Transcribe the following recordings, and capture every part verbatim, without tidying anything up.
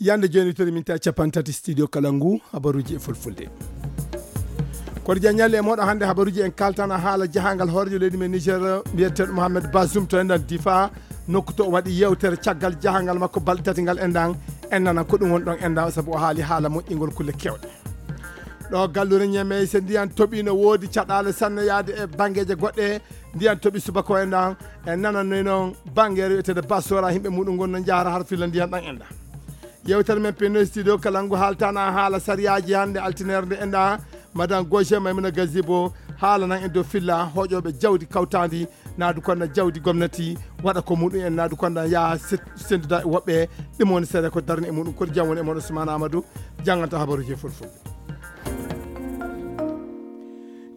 Yande jooni, tori min ta capanɗe tati studio kala ngu, habaruuji e fulfulde. Koɗo Diagne Ñalli e mooɗo hannde habaruuji, en kaltana haala jahangal hoorejo leydi men Niger, mbiyeteeɗo Mohamed Bazoum to enɗan Difa, nokku to o waɗi yewtere caggal jahangal makko balɗe tati ngal enɗan, en nana ko ɗum woni ɗon enɗan, sabu o haali haala moƴƴingol kulle kewɗe. Ɗo gallure Ñeme, so ndiyan toɓi no woodi caɗaale sanne yaade e banngeeje goɗɗe, ndiyan toɓi subaka o enɗan, en nanannoy noon banngeere wiyeteende Basora, yimɓe muɗum ngon no njahara har filla ndiyan ɗan enɗan. Yewtere men pinno studio kala ngu haaltana haala sariyaaji hannde altineere nde enɗan, Madame Gauche Maimouna Gazibo haalanan en dow filla hooƴooɓe jawdi kawtaandi, naadu konda jawdi gomnati, waɗa ko muɗum en, naadu konda yaa se-, sennduda e woɓɓe, ɗum woni seeɗa ko darni e muɗum. Koɗo Diagne woni e mon, Ousmane Amadou, jannganta habaruuji e fulfulde.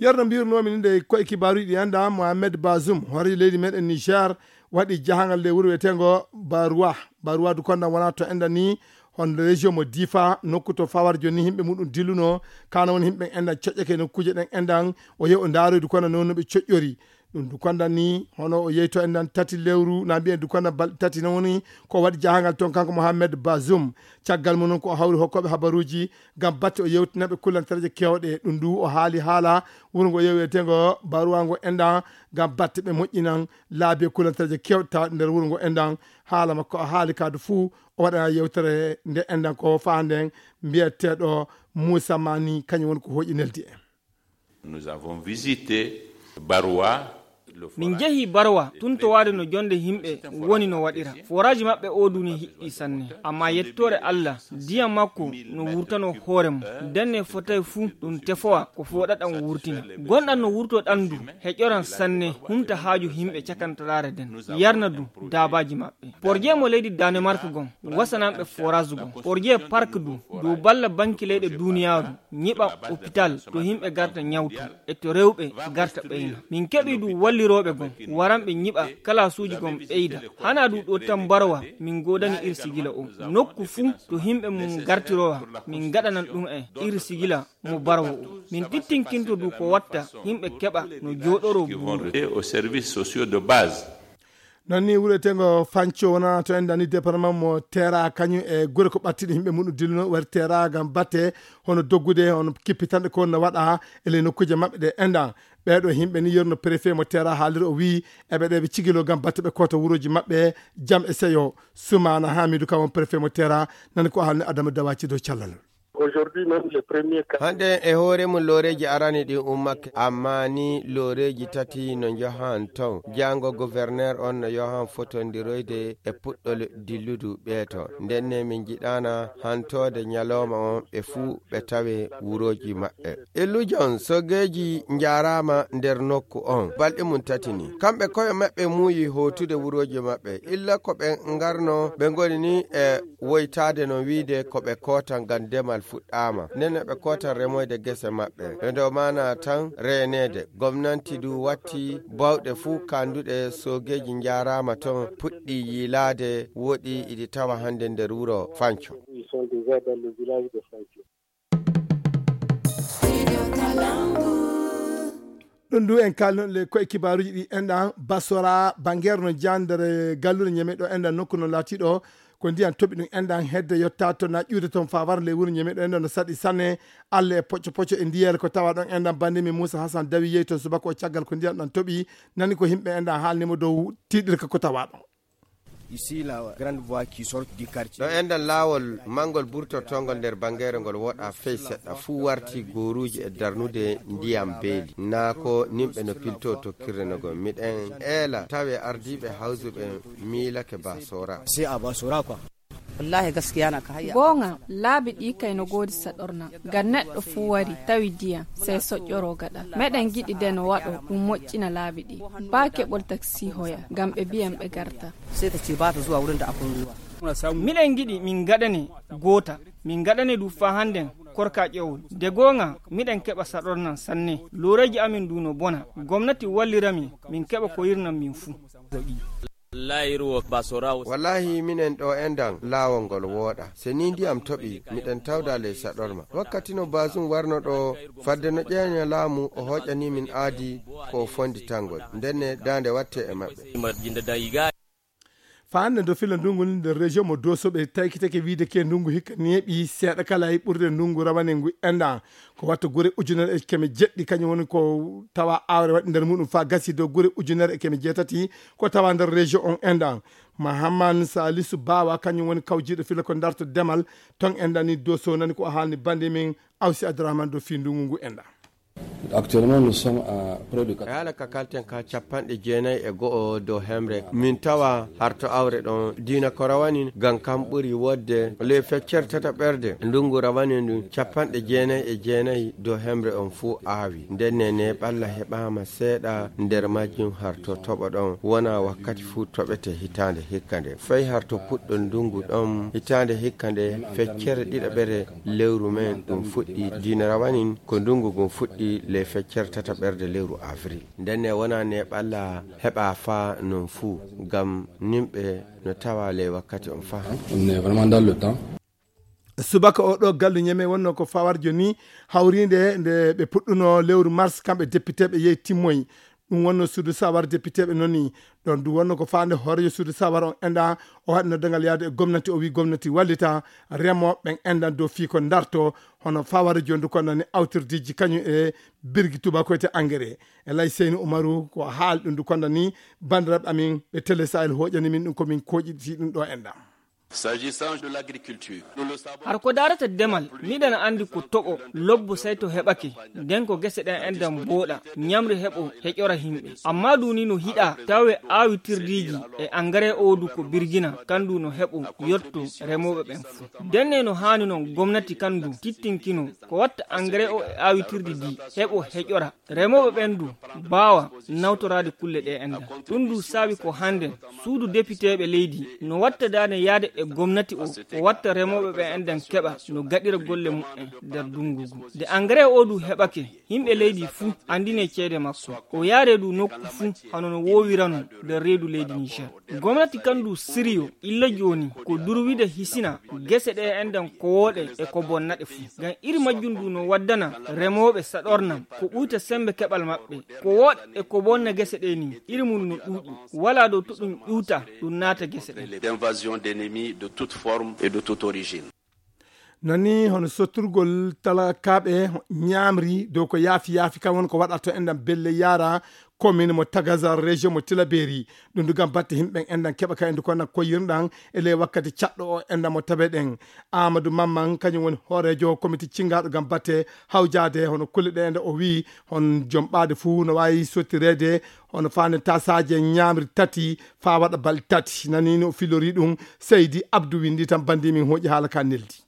Yerno mbirnoomi ni nde koye kibaaruuji ɗi enɗan, Mohamed Bazoum, hooreejo leydi meɗen Niger, waɗi jahangal ley wuro wiyeteengo Baroua. Baroua du konda wona to enɗan ni, hono région mo Difa, nokku to fawar jooni ni yimɓe muɗum dilluno, kana woni yimɓe enɗan coƴƴake nokkuuje ɗen enɗan, o yehi o ndaaroy du konda noon no ɓe coƴƴori. Ɗum du konda ni, hono o yehi to enɗan tati lewru, na mbiyen du konda balɗe tati no woni, ko waɗi jahangal toon kanko Mohamed Bazoum. Caggal mum noon ko o hawri hokkooɓe habaruuji, ngam batte o yewtinaɓe kullantareeje kewɗe. Ɗum du o haali haala wuro ngo yehi wiyeteengo Baroua ngo enɗan, ngam batte ɓe moƴƴinan laabi e kullantareeje kewɗe tawɗe nder wuro ngo enɗan. Haala makko o haali kaadu fuu, o waɗana yewtere nde enɗan ko faanden mbiyeteeɗo Moussa Mani, kañum woni ko hooƴi neldi en. Nous avons visité Baroua, le Min forage njehi Baroua, de tun to waade no jonde yimɓe woni no waɗira. Forage maɓɓe o du ni hiɗɗi sanne. Amma yettoore Allah, ndiyam makko no wurtano hoore mum. Ndenne fotay fuu ɗum tefowa ko fooɗaɗan wurtina. Gonɗan no wurtoɗan du, heƴoran sanne, humta haaju yimɓe cakantaraare nden. Yarna du daabaaji maɓɓe. Porje mo leydi Danemark gon, wasananɓe forage gon. Porje park du, dow balla banki leyɗe duniyaaru, nyiɓa hôpital to yimɓe garta nyawtu, e to rewɓe garta ɓeyna. Min keɓi du wallirooɓe gon, waranɓe nyiɓa kalaasuuji gon ɓeyda. Hana du ɗo tan Baroua, min godani ir sigila o. Nokku fuu to yimɓe mum gartirowa, min gaɗanan ɗum e ir sigila mo Baroua o. Min tittinkinto du ko watta yimɓe keɓa no jooɗoro buuru. Au service sociaux de base. Non ni wuro wiyeteengo Fanco wona to enɗan ni département mo Tera, kañum e gure ko ɓattiɗe yimɓe muɗum dilluno wari Tera ngam batte hono doggude, hono kippitanɗe ko no waɗa e ley nokkuuje maɓɓe ɗe enɗan. Ɓeeɗo yimɓe ni yerno préfet mo Tera haaliri o wii eɓe ɗe ɓe cigilo ngam batte ɓe koota wurooji maɓɓe jam e seyo. Sumana Hamidou kam won préfet mo Tera, nani ko haalni Adama Dawaci dow callal. Aujourd'hui même les premiers cas. Hannden e hoore mum looreeji arani ɗin ummake, amma ni looreeji tati no njahan ton. Jaango gouverneur on no yohan fotondiroyde e puɗɗol dilludu ɓeeto. Ndenne min njiɗaana hantoode ñalooma on ɓe fuu ɓe tawe wurooji maɓɓe. Illujon sogeeji njaaraama nder nokku on. Balɗe mum tati ni. Kamɓe koye maɓɓe muuyi hootude wurooji maɓɓe. Illa ko ɓe ngarno, ɓe ngoni ni e woytaade no wiide ko ɓe kootan ngam demal fuɗɗaama. Nden no ɓe kootan remoyde gese maɓɓe. E nder maana tan reeneede. Gomnanti du watti bawɗe fuu kanduɗe sogeeji njaaraama ton puɗɗi yiilaade, woɗi iɗi tawa hannde nder wuro Fanco. Ils sont déjà dans le village de Fanco. Ɗum du en kalno le koye kibaaruuji ɗi enɗan Basora, Bangere no jandere galluure Ñeme ɗo enɗan nokku no laatiɗo ko ndiyan toɓi ɗum enɗan hedde yotta to na ƴuude toon fawar ley wuro Ñeme ɗo enɗan no saɗi sanne. Alla e pocco pocco e ndiyeele ko tawa ɗon enɗan bannde mi Moussa Hassan Dawi yehi toon subaka o caggal ko ndiyan ɗan toɓi nani ko yimɓe enɗan haalnimo dow tiiɗirka ko tawa ɗon. Ici la grande voie qui sort du quartier. Ɗo enɗan laawol manngol burtortongol nder Bangere ngol woɗa fey seɗɗa fuu warti gooruuji e darnude ndiyam beeli. Naa ko nimɓe no pilto tokkirde no gom. Miɗen eela tawe ardiiɓe hawsuɓe miilake Basora. C'est à Basora quoi. Wallahi gaskiya na ka hayya. Goonga, laabi ɗi kay no goodi saɗorna. Ngam neɗɗo fuu wari, tawi ndiyam, sey soƴƴoro gaɗa. Meɗen ngiɗi de no waɗo, ɗum moƴƴina laabi ɗi. Baa keɓol taksi hoya, ngam ɓe mbiyan ɓe garta. Sai ta ce ba ta zuwa wurin da akwai ruwa. Miɗen ngiɗi min ngaɗane goota. Min ngaɗane du faa hannden korka ƴowol. De goonga, miɗen keɓa saɗornan sanne. Looreeji amin du no bona. Gomnati wallira min, min keɓa ko yirnan min fuu. Wallahi minen ɗo enɗan laawol ngol wooɗa. Se ni ndiyam toɓi, miɗen tawda ley saɗorma. Wakkati no Bazoum warno ɗo, fadde no ƴeeña laamu, o hooƴani min aadi ko o fonditangol. Ndenne daande watte e maɓɓe. Faande do fila ndungu nder région mo Doso ɓe taykitake wiide ke ndungu hikka neeɓi seeɗa kala e ɓurde ndungu rawane ngu enɗan. Ko watta gure ujunere e keme jeɗɗi kañum woni ko tawa awre waɗi nder muɗum fa gasi dow gure ujunere e keme jeetati ko tawa nder région on enɗan. Mahamman Salisu Bawa kañum woni kawjiiɗo fila ko darto demal ton enɗan ni Doso nani ko o haalni bandi min Awsi Abdourahmane do fi ndungu ngu enɗan. Actuellement, nous sommes à près de E haala ka kalten ka capanɗe jeenayi e go'o dow hemre. Min tawa harto awre ɗon diina ko rawani ngam kam ɓuri wodde le feccere tata ɓerde. Ndungu rawani ndun capanɗe jeenayi e jeenayi dow hemre on fuu aawi. Nden ne ne ɓalla heɓaama seeɗa nder majjum harto toɓo ɗon. Wona wakkati fuu toɓete hitaande hikka nde. Fay harto puɗɗo ndungu ɗon hitaande hikka nde feccere ɗiɗaɓere lewru men ɗum fuɗɗi diina rawanin ko ndungu ngun fuɗɗi le feccere tata ɓerde lewru avril. Ndenne wona ne ɓalla heɓa fa non fuu ngam nimɓe no tawa le wakkati on fa. On est vraiment dans le temps. Subaka o ɗo gallu ñeme wonno ko fawarjo ni hawrinde nde ɓe puɗɗuno lewru mars kamɓe député ɓe yehi timmoyi. Ɗum wonno suudu sawar député ɓe noni ɗon du wonno ko faande hoorejo suudu sawar on enɗa o waɗi noddangal yaade e gomnati o wi gomnati wallita remoɓe ɓen enɗan dow fii ko darto hono fawara jondu kondani awtirdiji kañum e birgi tubakoyte engrais. E lay seyni umaru ko haali ɗum du kondani bandiraɓe amin ɓe télé sahel hoƴani min ɗum komin koƴiti ɗum ɗo enɗan. S'agissant de l'agriculture, nous le savons. Har ko darata demal miɗen andi ko toɓo lobbo say to heɓake nden ko gese ɗen enɗan booɗa ñamri heɓo heƴora himɓe amma duni no hiɗa tawe awitirdiiji e engrais o du ko birgina kandu no heɓo yotto remoɓe ɓen fu. Denne no haani non gomnati kandu tittinkino ko watta engrais o e awitirdi di heɓo heƴora remoɓe ɓen du baawa nawtoraade kulle ɗe enɗan. Ɗum du saabi ko hannden suudu depiteeɓe leydi no wattadaade yaade e gomnati o o watta remooɓe ɓe enɗan keɓa no gaɗira golle mumen nder dunngu ngu. Nde engrais o du heɓake yimɓe leydi fuu anndine ceede makko o yaare du nokku fuu hano no woowirano nder reedu leydi Niger. Gomnati kan du siriyo illa jooni ko durwide hisina gese ɗe enɗan ko wooɗe e ko bonnaɗe fuu ngam iri majjum du no waddana remooɓe saɗornam ko ɓuyta sembe keɓal maɓɓe ko wooɗa e ko bonna gese ɗe ni iri mum no ɗuuɗi wala dow to ɗum ƴuuta ɗum naata gese ɗe. D'invasion d'ennemis de toute forme et de toute origine. Nani hono sotturgol talakaaɓe ñaamri dow ko yaafi yaafi kam won ko waɗata enɗan belle yaara commune mo tagazar région mo tilaberi ɗum du gam batte himɓe enɗan keɓa ka endu konna koyirɗan e ley wakkati caɗɗo o enɗan mo tabe ɗen. Amadou Mamman kañum woni hoorejo comité cingaɗo gam batte hawjade hono kulle ɗe enɗan o wi hon joom ɓaade fuu no wawi sottireede hono faande tasaje ñaamri tati faa waɗa balɗe tati. Nani no filori ɗum seydi abdou windi tan bandi min hooƴi haala ka neldi.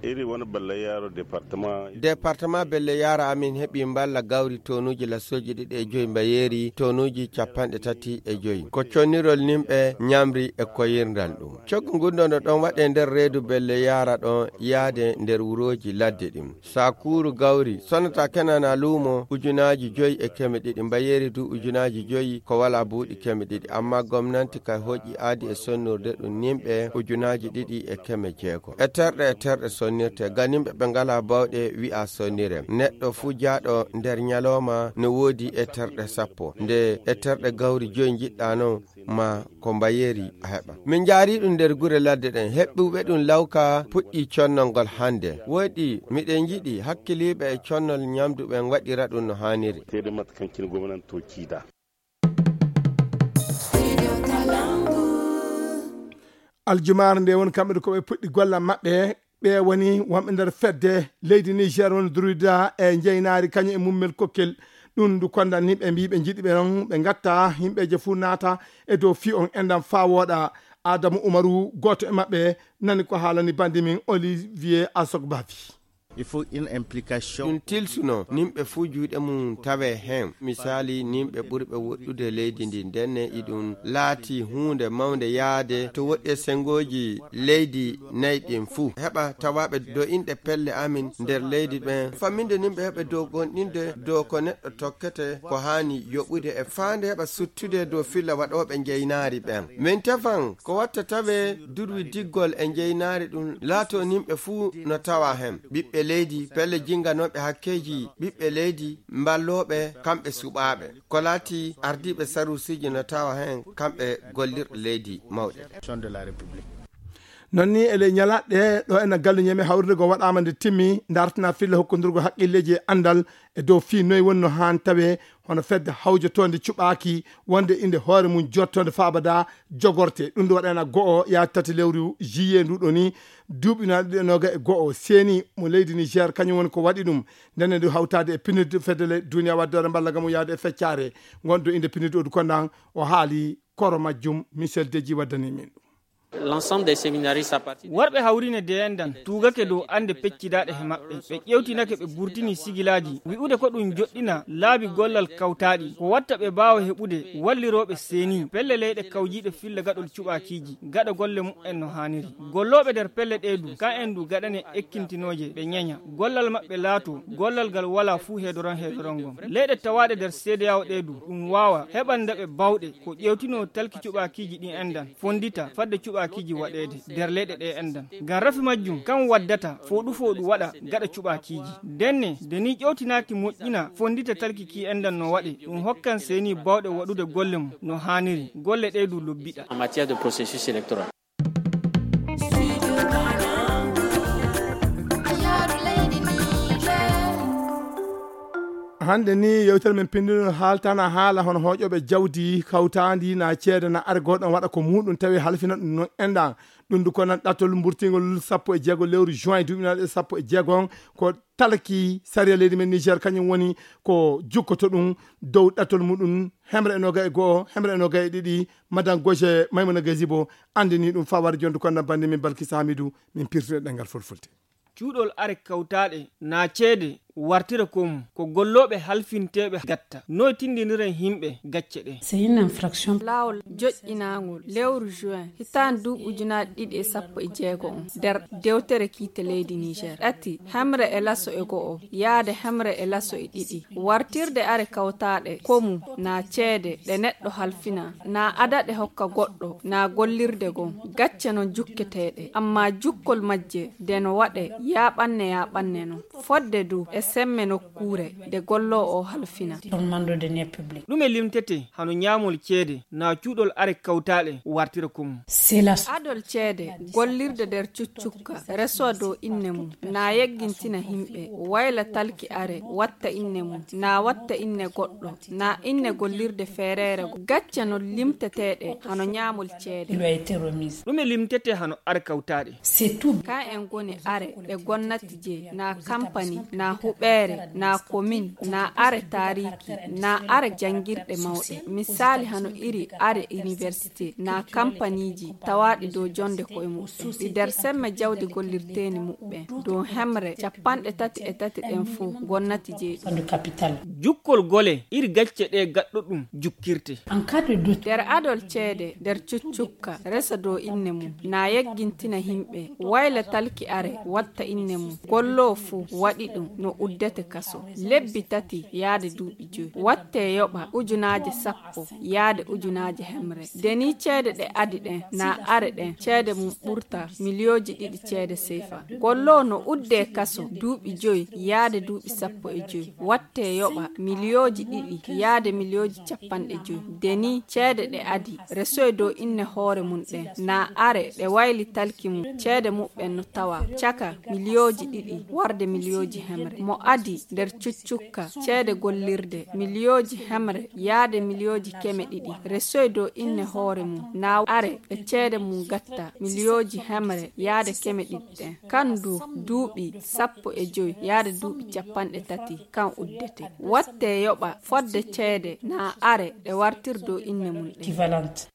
Iri woni balla yaro département. Département belle yara amin heɓi mballa gawri tonuji lasoji ɗiɗi e joyi mbayeri tonuji capanɗe tati e joyi ko connirol nimɓe ñamri e koyirndal ɗum. Coggu ngun ɗo no ɗon waɗe nder reedu belle yara ɗon yaade nder wuroji ladde ɗin. Sakuru gawri sonata kenana luumo ujunaji joyi e keme ɗiɗi mbayeri du ujunaji joyi ko wala buuɗi keme ɗiɗi amma gomnanti kay hoƴi aadi e sonnurde ɗum nimɓe ujunaji ɗiɗi e keme jeego e terɗe e terɗe sonnirte ganimɓe ɓe ngala bawɗe wi'a sonnire neɗɗo fuu jaaɗo nder ñalawma no woodi e terɗe sappo nde e terɗe gawri joyi njiɗɗa non ma ko mbayeeri a heɓa. Min njaari ɗum nder gure ladde ɗen heɓɓuɓe ɗum lawka puɗɗi connol ngol hannde. Woɗɗi miɗen njiɗi hakkiliiɓe e connol ñamdu ɓen waɗira ɗum no haaniri. Teede maɓɓe kankine gomnanto ciida. Aljumaare nde woni kamɓe ko ɓe puɗɗi gollal maɓɓe. Ɓe woni wonɓe nder fedde leydi Niger woni druida e njeynaari kañum e mummel kokkel. Ɗum ndu kondan ni ɓe mbi ɓe njiɗi ɓe on ɓe ngatta yimɓeeje fuu naata e dow fii on enɗan faa wooɗa. Adamu Umaru gooto e maɓɓe nani ko haalani bandi min Olivier Asogbavi. Il faut une implication. Ɗum tilsuno nimɓe fuu juuɗe mum tawe heen. Misaali nimɓe ɓurɓe woɗɗude leydi ndi ndenne iɗum laati huunde mawnde yaade to woɗɗi e sengooji leydi nayi ɗin fuu heɓa tawaaɓe do inɗe pelle amin nder leydi ɓen famminde nimɓe heɓe dow gonɗinde dow ko neɗɗo tokkete ko haani yoɓude e faande heɓa suttude dow filla waɗooɓe njeynaari ɓen. Min tefan ko watta tawe durwi diggol e njeynaari ɗum laato nimɓe fuu no tawa heen ɓiɓɓe leydi, pelle jinnganooɓe hakkeeji ɓiɓɓe leydi, mballooɓe kamɓe suɓaaɓe. Ko laati ardiiɓe saruusiiji no tawa heen kamɓe gollirɗe leydi mawɗe ɗe. Non ni e ley ñalaaɗe ɗo ena gallu ñeme hawrude go waɗaama nde timmi, dartina filla hokkondurgo haqqilleeji e anndal e dow fii noy woni no haan tawe hono fedde hawjotoonde cuɓaaki wonde inde hoore mum jottoonde faabada jogorte. Ɗum nde waɗaana go'o yaa tati lewru juillet ndu ɗo ni duuɓi na ɗiɗi e noga e go'o. Seeni mo leydi Niger kañum woni ko waɗi ɗum. Ndenne ndu hawtaade e pinirde fedde le duniya wadde hoore mballa gam yaade e feccare ngonɗo inde pinirde odu kondan o haali koro majjum. Michel Deji waddani min ɗum. L'ensemble des séminaristes à partir de worɓe hawrine deyendan tuugake dow annde peccidaɗe he maɓɓe. Ɓe ƴewtinake, ɓe burtini sigilaaji wi'ude ko ɗum joɗɗina laabi gollal kawtaaɗi ko watta ɓe mbaawa heɓude wallirooɓe seeni pelle leyɗe kawjiiɗe filla gaɗol cuɓaakiiji gaɗa golle mumen no haaniri. Gollooɓe nder pelle ɗee du kan en du gaɗane ekkintinooje ɓe ñeña gollal maɓɓe laato gollal ngal walaa fuu heedoran heedoran ngon. Leyɗe tawaaɗe nder seedeyawo ɗee du ɗum waawa heɓan ndaɓe baawɗe ko ƴewtinoo talki cuɓaakiiji ɗin endan fonndita fadde cuɓaakiiji waɗeede nder leyɗe ɗee endan. Ngam rafi majjum kan waddata fooɗu fooɗu waɗa gaɗa cuɓaakiiji. Ndenne nde ni ƴewtinaaki moƴƴina fonndita talki ki endan no waɗe ɗum hokkan seeni baawɗe waɗude golle mum no haaniri golle ɗee du lobbiɗa. En matière de processus électoral. Hannde ni yewtere men pinndino haaltana haala hono hooƴooɓe jawdi kawtaandi na ceede na are gooto waɗa ko muɗum tawi halfina ɗum noon enɗan. Ɗum du ko nan ɗattol mburtingol sappo e jeego lewru juin duuɓi naɗe sappo e jeego on ko talki sariya leydi men Niger kañum woni ko jukkoto ɗum dow ɗattol muɗum hemre e noga e go'o hemre e noga e ɗiɗi. Madan Goje Maymuna Gazibo anndini ɗum fawar jondu ko nan bandi min Balkis Hamidou min pirtude ɗengal fulfulde. Cuuɗol are kawtaaɗe na ceede wartira ko mum ko gollooɓe halfinteeɓe gatta noy tindiniren himɓe gacce ɗe. C'est une infraction. Laawol joƴƴinaangol lewru juin hitaande duuɓi ujunaaji ɗiɗi e sappo e jeego on nder dewtere kiite leydi Niger ɗati hemre e laso e go'o yaade hemre e laso e ɗiɗi. Wartirde are kawtaaɗe komu na ceede ɗe neɗɗo halfina na adaɗe hokka goɗɗo na gollirde gon gacce non jukketeeɗe amma jukkol majje nde no waɗe yaaɓanne yaaɓanne non fodde du e semme nokkuure nde golloowo o halfina. Ɗume limtete hano ñaamol ceede na cuuɗol are kawtaaɗe wartira ko mum. Adol ceede gollirde nder cuccukka reso dow inne mum na yeggintina himɓe wayla talki are watta inne mum na watta inne goɗɗo na inne gollirde feereere gacce non limteteeɗe hano ñaamol ceede. Ɗume limtete hano are kawtaaɗe? Kan en goni are ɗe gonnati je na kampani na huɓeere na komin na are taariki na are janngirɗe mawɗe misaali hano iri are université na kampaniiji tawaaɗi dow jonnde koye muɗum ɗi nder semme jawdi gollirteeni muɓɓen dow hemre capanɗe tati e tati ɗen fof gonnati jeyɗi. Jukkol gole iri gacce ɗe gaɗɗo ɗum jukkirte. Nder adol ceede nder cuccukka resa dow inne mum na yeggintina himɓe wayla talki are watta inne mum golloo fuu waɗi ɗum no uddete kaso lebbi tati yaade duuɓi joyi watte yoɓa ujunaaje sappo yaade ujunaaje hemre. Nde ni ceede ɗe adi ɗen na are ɗen ceede mum ɓurta miliyooji ɗiɗi ceede seefa golloo no uddee kaso duuɓi joyi yaade duuɓi sappo e joyi watte yoɓa miliyooji ɗiɗi yaade miliyooji capanɗe joyi. Nde ni ceede ɗe adi resoy dow inne hoore mum ɗen na are ɗe wayli talki mum ceede muɓɓen no tawa caka miliyooji ɗiɗi warde miliyooji hemre mo adi nder cuccukka ceede gollirde miliyooji hemre yaade miliyooji keme ɗiɗi resoy dow inne hoore mum na are ɓe ceede mum gatta miliyooji hemre yaade keme ɗiɗi ɗen kan du duuɓi sappo e joyi yaade duuɓi capanɗe tati kan uddete watte yoɓa fodde ceede na are ɗe wartir dow inne mum ɗen.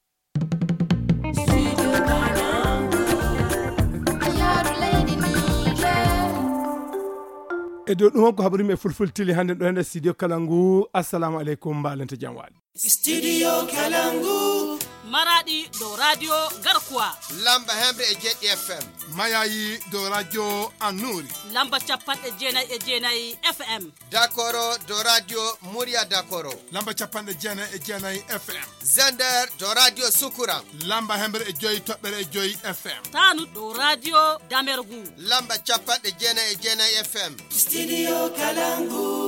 E dow ɗum on ko haɓrimi e fulfultili hannde ɗo hende studio kala ngu. Assalamu aleykum mbalente jam waali. Studio kala ngu. Maraɗi dow radio Garkuwa. Lamba hemre e jeɗɗi F M. Mayayi dow radio Annuri. Lamba capanɗe jeenayi e jeenayi F M. Dakoro dow radio Murya Dakoro. Lamba capanɗe jeenayi e jeenayi F M. Zender dow radio Sukura. Lamba hemre e joyi toɓɓere e joyi F M. Tanu dow radio Damergu. Lamba capanɗe jeenayi e jeenayi F M. Studio Kalangu.